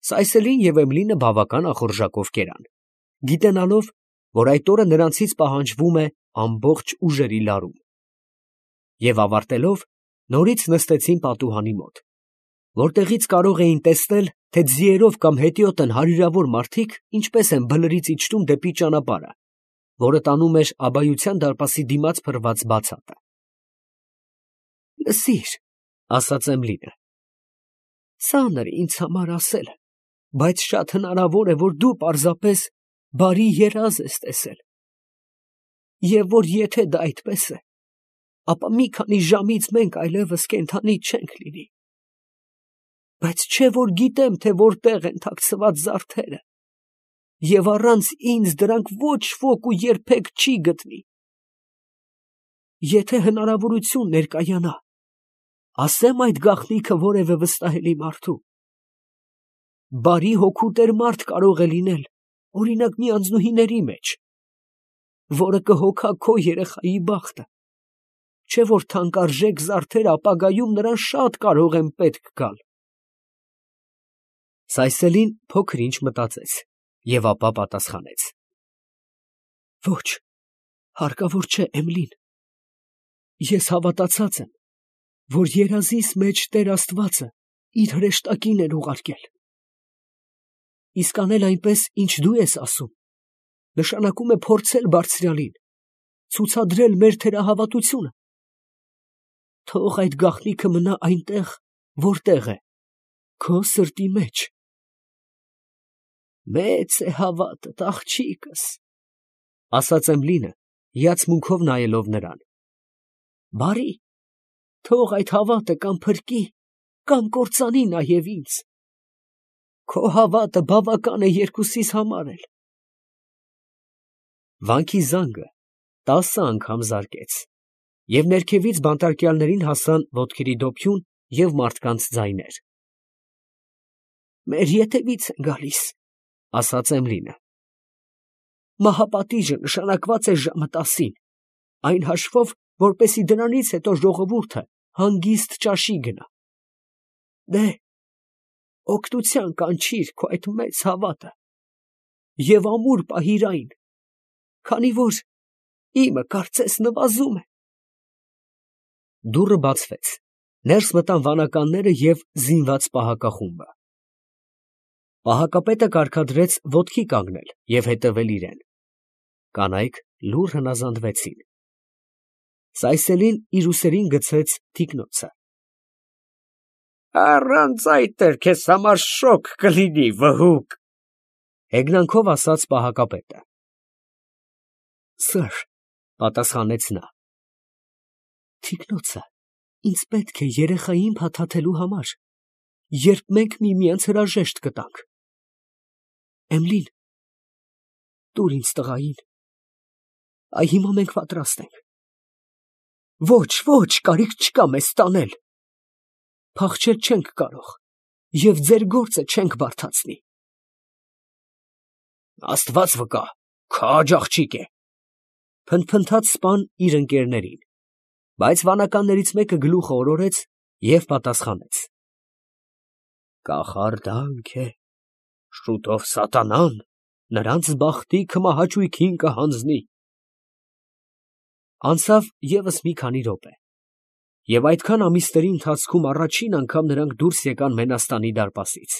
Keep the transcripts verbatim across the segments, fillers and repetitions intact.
Սայսելին և Էմլինը բավական ախորժակով կերան, գիտենալով, որ այդ օրը նրանցից պահանջվում է ամբողջ ուժերի լարում, և ավարտելով, նորից նստեցին պատուհանի մոտ, որտեղից կարող էին տեսնել, թե ձիերով կամ հետիոտն հարյուրավոր մարդիկ ինչպես են բլրից իջնում դեպի ճանապարհը, որը տանում էր Աբայության դարպասի դիմաց փռված բացատը։ «Լսիր», ֊ ասաց Էմլինը, ֊ ծանր է ինձ համար ասելը, բայց շատ հնարավոր է, որ դու պարզապես բարի երազ ես տեսել, և որ եթե դա այդպես է, ապա մի քանի ժամից մենք այլևս կենդանի չենք լինի, բայց չէ որ գիտեմ, թե որտեղ են թաքցված զարդերը, և առանց ինձ դրանք ոչ ոք ու երբեք չի գտնի. եթե հնարավորություն ներկայանա, ասեմ այդ գաղտնիքը որևէ վստահելի մարդու, բարի հոգու տեր մարդ կարող է լինել, օրինակ մի անձնուհիների մեջ, որը կհոգա քո երեխայի բախտը, չէ որ թանկարժեք զարդերը ապագայում նրան շատ կարող են պետք գալ։ Սայսելին փոքր ինչ մտածեց և ապա պատասխանեց. «Ոչ, հարկավոր չէ, Էմլին, ես հավատացած եմ, որ երազիս մեջ Տեր Աստվածը իր հրեշտակին էր ուղարկել, իսկ անել այնպես, ինչ դու ես ասում, նշանակում է փորձել Բարձրյալին, ցուցադրել մեր թերահավատությունը. թող այդ գաղտնիքը մնա այնտեղ, որտեղ է, քո սրտի մեջ»։ «Մեծ է հավատդ, աղջիկս, ֊ ասաց Էմլինը, հիացմունքով նայելով նրան, ֊ բարի, թող այդ հավատը կամ փրկի, կամ կործանի նաև ինձ, քո հավատը բավական է երկուսիս համար էլ»։ Վանքի զանգը տասը անգամ զարկեց, և ներքևից բանտարկյալներին հասան ոտքերի դոփյուն և մարդկանց ձայներ։ «Մեր ետևից են գալիս», ֊ ասաց Էմլինը։ «Մահապատիժը նշանակված է ժամը տասին, այն հաշվով, որպեսզի դրանից հետո ժողովուրդը հանգիստ ճաշի գնա։ Դե՛հ, օգնության կանչիր քո այդ մեծ հավատը և ամուր պահիր այն, քանի որ իմը կարծես նվազում է»։ Դուռը բացվեց, ներս մտան վանականները և զինված պահակախումբը։ Պահակապետը կարգադրեց ոտքի կանգնել և հետևել իրեն։ Կանայք լուռ հնազանդվեցին։ Սայսելին իր ուսերին գցեց թիկնոցը։ «Առանց այդ էլ քեզ համար շոգ կլինի, վհուկ, ֊ հեգնանքով ասաց պահակապետը։ Սըր, ֊ պատասխանեց նա, ֊ թիկնոցը ինձ պետք է երեխային փաթաթելու համար, երբ մենք միմյանց հրաժեշտ կտանք։ Էմլին, տուր ինձ տղային, այ հիմա մենք պատրաստ ենք։ Ոչ, ոչ, կարիք չկա մեզ տանել, փախչել չենք կարող և ձեր գործը չենք բարդացնի։ Աստված վկա, քաջ աղջիկ է, ֊ փնթփնթաց սպան իր ընկերներին, բայց վանականներից մեկը գլուխը օրորեց և պատասխանեց. Կախարդանք է, շուտով սատանան նրանց բախտիքը մահաճույքին կհանձնի։ Անցավ ևս մի քանի րոպե, և այդքան ամիսների ընթացքում առաջին անգամ նրանք դուրս եկան Մենաստանի դարպասից։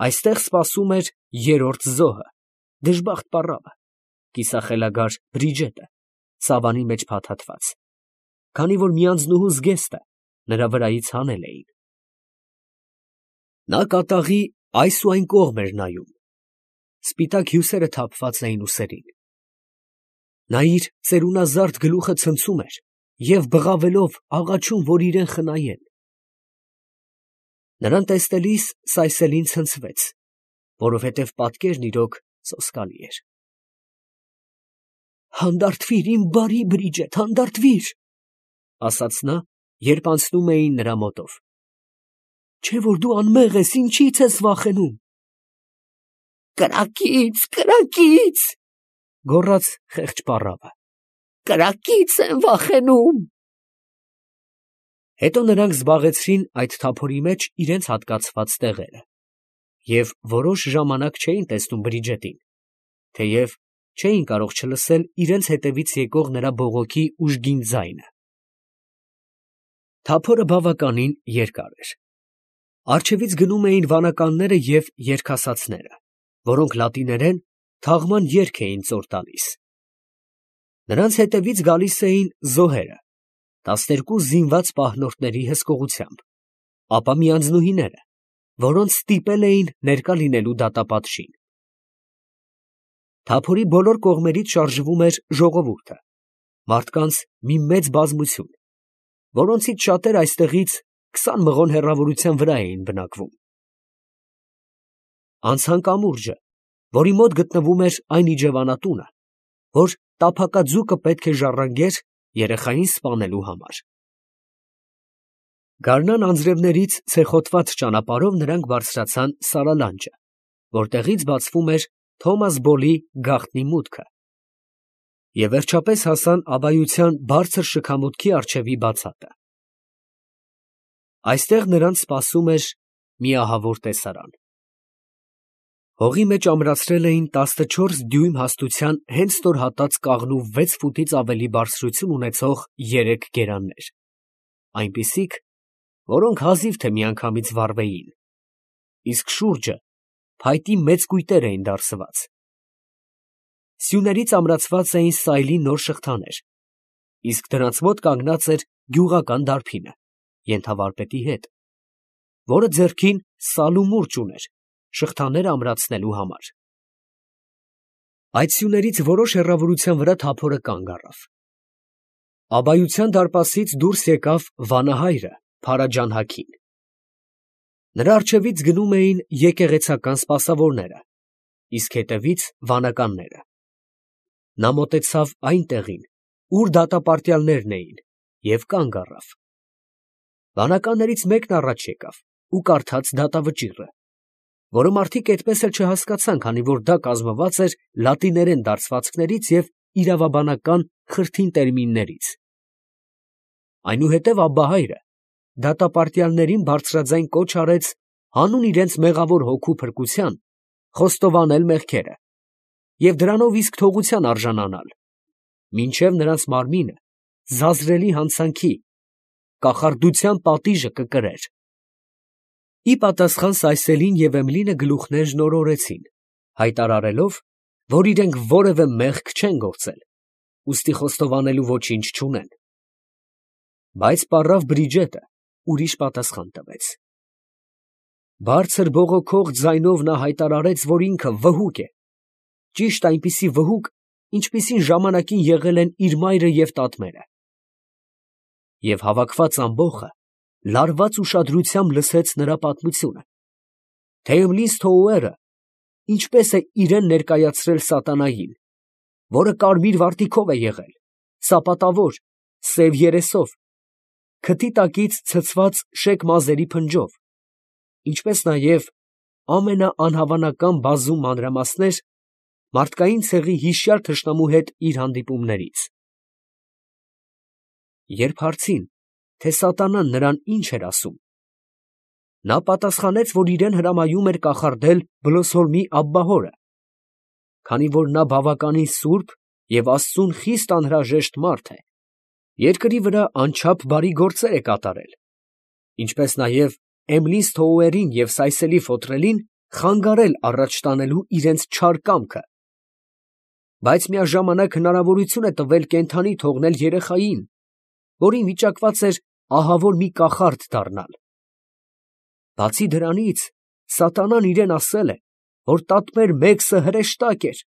Այստեղ սպասում էր երրորդ զոհը, դժբախտ պառավը, կիսախելագար Բրիջետը, սավանի մեջ փաթաթված, քանի որ մի անձնուհու զգեստը նրա վրայից հանել էին։ Նա կատաղի այս ու այն կողմ էր նայում, սպիտակ հյուսերը թափված էին ուսերին։ Նա իր ծերունազարդ գլուխը ցնցում էր և բղավելով աղաչում, որ իրան խնայեն։ Նրան տեսնելիս Սայսելին ցնցվեց, որովհետև պատկերն իրոք սոսկալի էր։ Հանդարտվիր, իմ բարի Բրիջետ, հանդարտվիր, ֊ ասաց նա, երբ անցնում էին նրա մոտով, չէ որ դու անմեղ ես, ինչի՞ց ես վախենում։ Կրակից, կրակից, ֊ գոռաց խեղճ պառավը, կրակից եմ վախենում։ Հետո նրանք զբաղեցրին այդ թափորի մեջ իրենց հատկացված տեղերը, և որոշ ժամանակ չէին տեսնում Բրիջետին, թեև չէին կարող չլսել իրենց հետևից եկող նրա բողոքի ուժգին ձայնը։ Թափորը բավականին երկար էր։ Առջևից գնում էին վանականները և երգասացները, որոնք լատիներեն թաղման երգ էին ծոր տալիս։ Նրանց հետևից գալիս էին զոհերը, տասներկու զինված պահնորդների հսկողությամբ, ապա միանձնուհիները, որոնց ստիպել էին ներկա լինելու դատապատժին։ Թափորի բոլոր կողմերից շարժվում էր ժողովուրդը, մարդկանց մի մեծ բազմություն, որոնցից շատերը այստեղից քսան մղոն հեռավորության վրա էին բնակվում։ Անցան կամուրջը, որի մոտ գտնվում էր այն իջևանատունը, որ տափակաձուկը պետք է ժառանգեր երեխային սպանելու համար։ Գարնան անձրևներից ցեխոտված ճանապարհով նրանք բարձրացան Սարալանջը, որտեղից բացվում էր Թոմաս Բոլի գաղտնի մուտքը, և վերջապես հասան Աբայության բարձր շքամուտքի առջևի բացատը։ Այստեղ նրանց սպասում էր մի ահավոր տեսարան։ Հողի մեջ ամրացրել էին տասնչորս դյույմ հաստության հենց ստոր հատած կաղնու վեց ֆուտից ավելի բարձրություն ունեցող երեք գերաններ, այնպիսիք, որոնք հազիվ թե միանգամից վառվեին, իսկ շուրջը փայտի մեծ կույտեր էին դարսված։ Սյուներից ամրացված էին սայլի նոր շղթաներ, իսկ դրանց մոտ կանգնած էր գյուղական դարբինը, ենթավարպետի հետ, որը ձեռքին սալ ու մուրճ ուներ շղթաները ամրացնելու համար։ Այդ սյուներից որոշ հեռավորության վրա թափորը կանգ առավ։ Աբայության դարպասից դուրս եկավ վանահայրը Փարաջան Հաքին։ Նրա առջևից գնում էին եկեղեցական սպասավորները, իսկ հետևից վանականները։ Նա մոտեցավ այն տեղին, ուր դատապարտյալներն էին, և կանգ առավ։ Վանականներից մեկն առաջ եկավ ու կարդաց դատավճիռը, որը մարդիկ այդպես էլ չհասկացան, քանի որ դա կազմված էր լատիներեն դարձվածքներից և իրավաբանական խրթին տերմիններից։ Այնուհետև Աբբահայրը դատապարտյալներին բարձրաձայն կոչ արեց հանուն իրենց մեղավոր հոգու փրկության խոստովանել մեղքերը և դրանով իսկ թողության արժանանալ, մինչև նրանց մարմինը զազրելի հանցանքի, կախարդության պատիժը կկրեր։ Ի պատասխան Սայսելին և Էմլինը գլուխներ շնորհորեցին, հայտարարելով, որ իրենք որևէ մեղք չեն գործել, ուստի խոստովանելու ոչինչ չունեն։ Բայց պառավ Բրիջետը ուրիշ պատասխան տվեց։ Բարձր բողոքող ձայնով նա հայտարարեց, որ ինքը վհուկ է, ճիշտ այնպիսի վհուկ, ինչպիսին ժամանակին եղել են իր մայրը և տատմերը։ Եվ հավաքված ամբոխը լարված ուշադրությամբ լսեց նրա պատմությունը, թե Էմլին Սթոուերը ինչպես է իրեն ներկայացրել սատանային, որը կարմիր վարտիքով է եղել, սապատավոր, սև երեսով, քթի տակից ցցված շեկ մազերի փնջով, ինչպես նաև ամենաանհավանական բազում մանրամասներ մարդկային ցեղի հիշյալ թշնամու հետ իր հանդիպումներից։ Երբ հարցին, թե սատանան նրան ինչ էր ասում, նա պատասխանեց, որ իրեն հրամայում էր կախարդել Բլոսհոլմի Աբբահորը, քանի որ նա բավականին սուրբ և Աստծուն խիստ անհրաժեշտ մարդ է, երկրի վրա անչափ բարի գործեր է կատարել, ինչպես նաև Էմլին Սթոուերին և Սայսելի Ֆոտրելին խանգարել առաջ տանելու իրենց չար կամքը, բայց միաժամանակ հնարավորություն է տվել կենդանի թողնել երեխային, որին վիճակված էր ահավոր մի կախարդ դառնալ։ Բացի դրանից, սատանան իրեն ասել է, որ տատմեր Մեգսը հրեշտակ էր։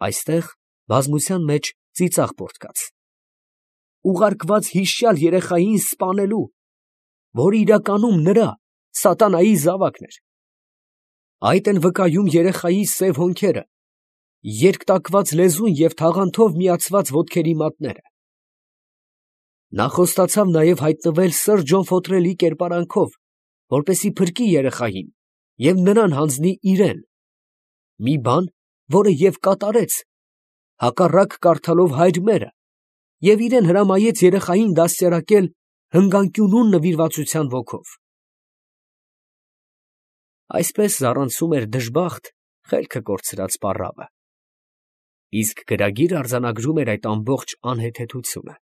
Այստեղ բազմության մեջ ծիծաղ պոռթկաց։ Ուղարկված հիշյալ երեխային սպանելու, որը իրականում նրա, սատանայի զավակն էր։ Այդ են վկայում երեխայի սև հոնքերը, երկտակված լեզուն և թաղանթով միացված ոտքերի մատները։ Նա խոստացավ նաև հայտնվել սըր Ջոն Ֆոտրելի կերպարանքով, որպեսզի փրկի երեխային և նրան հանձնի իրեն, մի բան, որը և կատարեց, հակառակ կարդալով հայր մերը, և իրեն հրամայեց երեխային դաստիարակել հնգանկյունուն նվիրվածության ոգով։ Այսպես զառանցում էր դժբախտ, խելքը կորցրած պառավը։ Իսկ գրագիրը արձանագրում էր այդ ամբողջ անհեթեթությունը։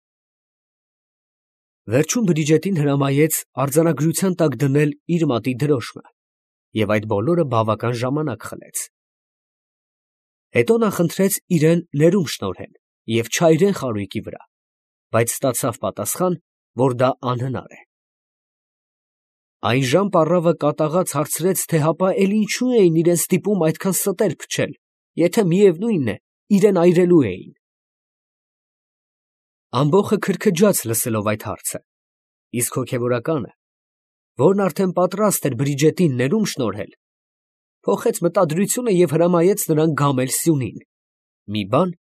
Վերջում Բրիջետին հրամայեց արձանագրության տակ դնել իր մատի դրոշմը, և այդ բոլորը բավական ժամանակ խլեց։ Հետո նա խնդրեց իրեն ներում շնորհել և չայրեն խարույկի վրա, բայց ստացավ պատասխան, որ դա անհնար է։ Այնժամ պառավը կատաղած հարցրեց, թե հապա էլ ինչու էին իրեն ստիպում այդքան ստեր փչել, եթե միևնույն է, իրեն այրելու էին։ Ամբոխը քրքջաց լսելով այդ հարցը, իսկ հոգևորականը, որն արդեն պատրաստ էր Բրիջետին ներում շնորհել, փոխեց մտադրությունը և հրամայեց նրան գամել սյունին, մի բան,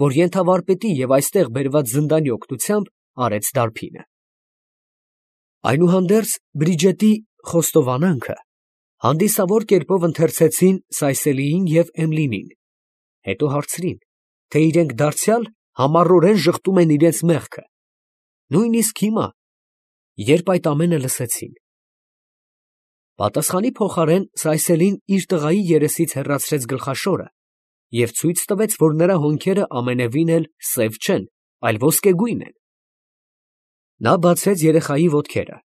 որ ենթավարպետի և այստեղ բերված զնդանի օգնությամբ արեց դարբինը։ Այնուհանդերձ Բրիջետի խոստովանանքը հանդիսավոր կերպով ընթերցեցին Սայսելիին և Էմլինին, հետո հարցրին, թե իրենք դարձյալ համառորեն ժխտում են իրենց մեղքը, նույնիսկ հիմա, երբ այդ ամենը լսեցին։ Պատասխանի փոխարեն Սայսելին իր տղայի երեսից հեռացրեց գլխաշորը և ցույց տվեց, որ նրա հոնքերը ամենևին էլ սև չեն, այլ ոսկեգույն են։ Նա բացեց երեխայի ոտքերը,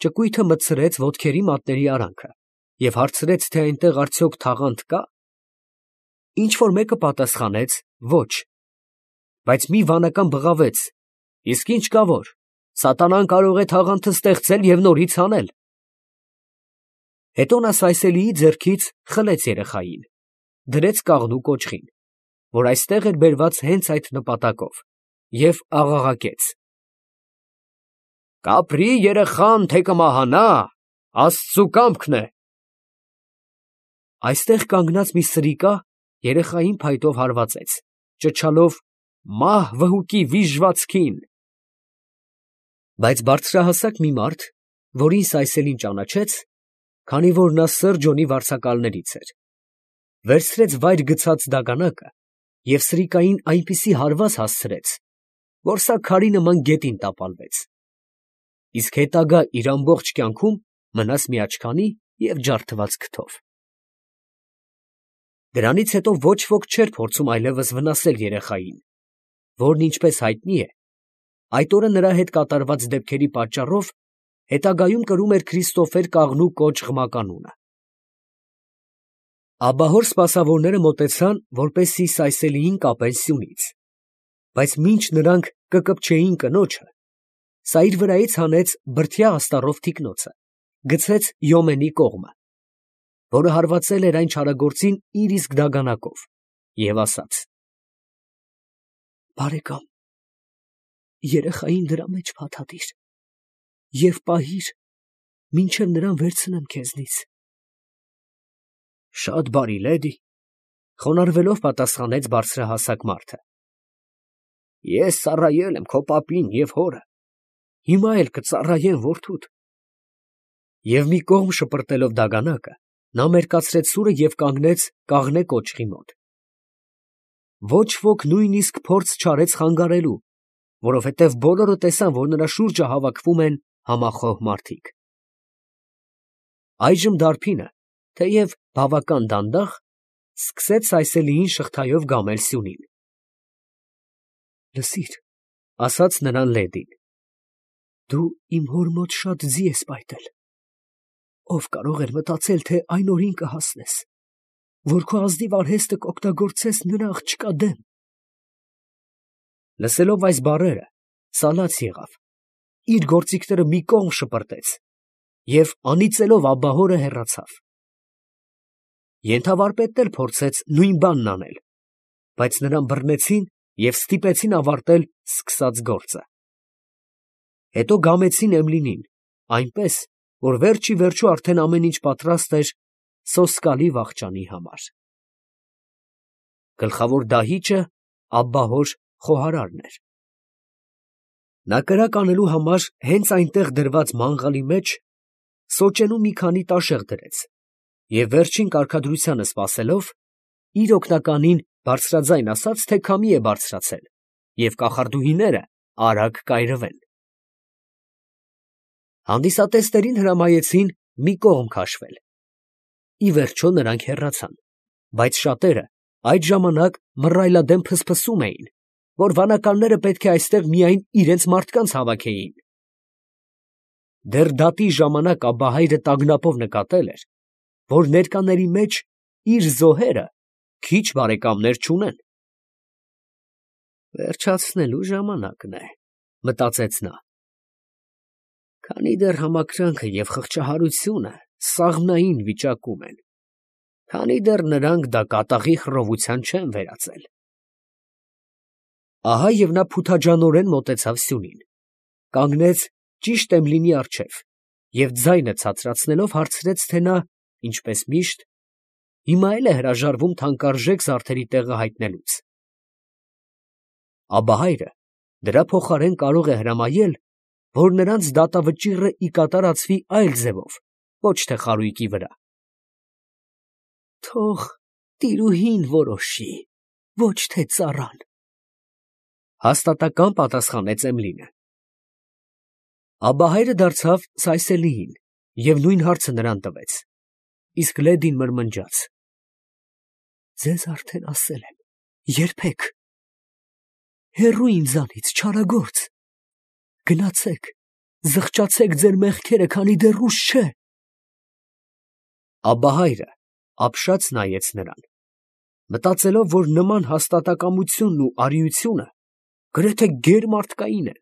ճկույթը մտցրեց ոտքերի մատների արանքը և հարցրեց, թե այնտեղ արդյոք թաղանթ կա։ Ինչ֊որ մեկը պատասխանեց, ոչ, բայց մի վանական բղավեց. իսկ ինչ կա որ, սատանան կարող է թաղանթը ստեղծել և նորից հանել։ Հետո նա Սայսելիի ձեռքից խլեց երեխային, դրեց կաղնու կոճղին, որ այստեղ էր բերված հենց այդ նպատակով, և աղաղակեց. «Կապրի երեխան, թե կմահանա, Աստծու կամքն է»։ Այստեղ կանգնած մի սրիկա երեխային փայտով հարվածեց, ճչալով. «Մահ վհուկի վիժվածքին»։ Բայց բարձրահասակ մի մարդ, որին Սայսելին ճանաչեց, քանի որ նա Սըր Ջոնի վարձակալներից էր, վերցրեց վայր գցած դագանակը և սրիկային այնպիսի հարված հասցրեց, որ սա քարի նման գետին տապալվեց, իսկ հետագա իր ամբողջ կյանքում մնաց միաչքանի և ջարդված քթով։ Դրանից հետո ոչ ոք չէր փորձում այլևս վնասել երեխային, որն, ինչպես հայտնի է, այդ օրը նրա հետ կատարված դեպքերի պատճառով հետագայում կրում էր Քրիստոֆեր կաղնու կոճղ մականունը։ Աբահոր սպասավորները մոտեցան, որպեսզի Սայսելիին կապեն սյունից, բայց մինչ նրանք կկպչեին կնոջը, սա իր վրայից հանեց բրդյա աստառով թիկնոցը, գցեց Յոմենի կողմը, որը հարվածել էր այն չարագործին իր իսկ դագանակով, և ասաց. «Բարեկամ, երեխային դրա մեջ փաթաթիր և պահիր, մինչև նրան վերցնեմ քեզնից»։ «Շատ բարի, լեդի», ֊ խոնարհվելով պատասխանեց բարձրահասակ մարդը։ «Ես ծառայել եմ քո պապին և հորը, հիմա էլ կծառայեմ որդուդ»։ Եվ մի կողմ շպրտելով դագանակը, նա մերկացրեց սուրը և կանգնեց կաղնե կոճղի մոտ։ Ոչ ոք նույնիսկ փորձ չարեց խանգարելու, որովհետև բոլորը տեսան, որ նրա շուրջը հավաքվում են համախոհ մարդիկ։ Այժմ դարբինը, թեև բավական դանդաղ, սկսեց Սայսելիին շղթայով գամել սյունին։ «Լսիր, ֊ ասաց նրան լեդին, ֊ դու իմ հոր մոտ շատ ձի ես պայտել. ով կարող էր մտածել, թե այն օրին կհասնես, որ քո ազնիվ արհեստը կօգտագործես նրա աղջկա դեմ»։ Լսելով այս բառերը, սա լաց եղավ, իր գործիքները մի կողմ շպրտեց և անիծելով աբահորը հեռացավ։ Ենթավարպետն էլ փորձեց նույն բանն անել, բայց նրան բռնեցին և ստիպեցին ավարտել սկսած գործը։ Հետո գամեցին Էմլինին, այնպես, որ վերջ ի վերջո արդեն ամեն ինչ պատրաստ էր սոսկալի վախճանի համար։ Գլխավոր դահիճը աբբահոր խոհարարն էր։ Նա կրակ անելու համար հենց այնտեղ դրված մանգաղի մեջ սոճենու մի քանի տաշեղ դրեց և վերջին կարգադրությանը սպասելով, իր օգնականին բարձրաձայն ասաց, թե քամի է բարձրացել և կախարդուհիները արագ կայրվեն։ Հանդիսատեսներին հրամայեցին մի կողմ քաշվել, Ի վերջո նրանք հեռացան, բայց շատերը այդ ժամանակ մռայլադեմ փսփսում էին, որ վանականները պետք է այստեղ միայն իրենց մարդկանց հավաքեին։ Դեռ դատի ժամանակ Աբահայրը տագնապով նկատել էր, որ ներկաների մեջ իր զոհերը քիչ բարեկամներ չունեն։ Վերջացնելու ժամանակն է, մտածեց նա։ Քանի դեռ համակրանքը և խղճահարությունը սաղմնային վիճակում են, քանի դեռ նրանք դա կատաղի խռովության չեն վերածել։ Ահա և նա փութաջանորեն մոտեցավ սյունին, կանգնեց ճիշտ Էմլինի առջև և ձայնը ցածրացնելով հարցրեց, թե նա, ինչպես միշտ, հիմա է՞լ է հրաժարվում թանկարժեք զարդերի տեղը հայտնելուց։ Աբահայրը դրա փոխարեն կարող է հրամայել, որ նրանց դատավճիռը ի կատարածվի այլ ձևով, ոչ թե խարույկի վրա։ Թող տիրուհին որոշի, ոչ թե ծառան, հաստատակամ պատասխանեց Էմլինը։ Աբահայրը դարձավ սայսելիին և նույն հարցը նրան տվեց, իսկ լեդին մրմնջաց. Ձեզ արդեն ասել եմ, երբեք, հեռու ինձանից, չարագործ, գնացեք, զղջացեք ձեր մեղքերը, քանի դեռ ուշ չէ։ Աբահայրը ապշած նայեց նրան, մտածելով, որ նման հաստատակամությունն ու արիությունը գրեթե գերմարդկային են,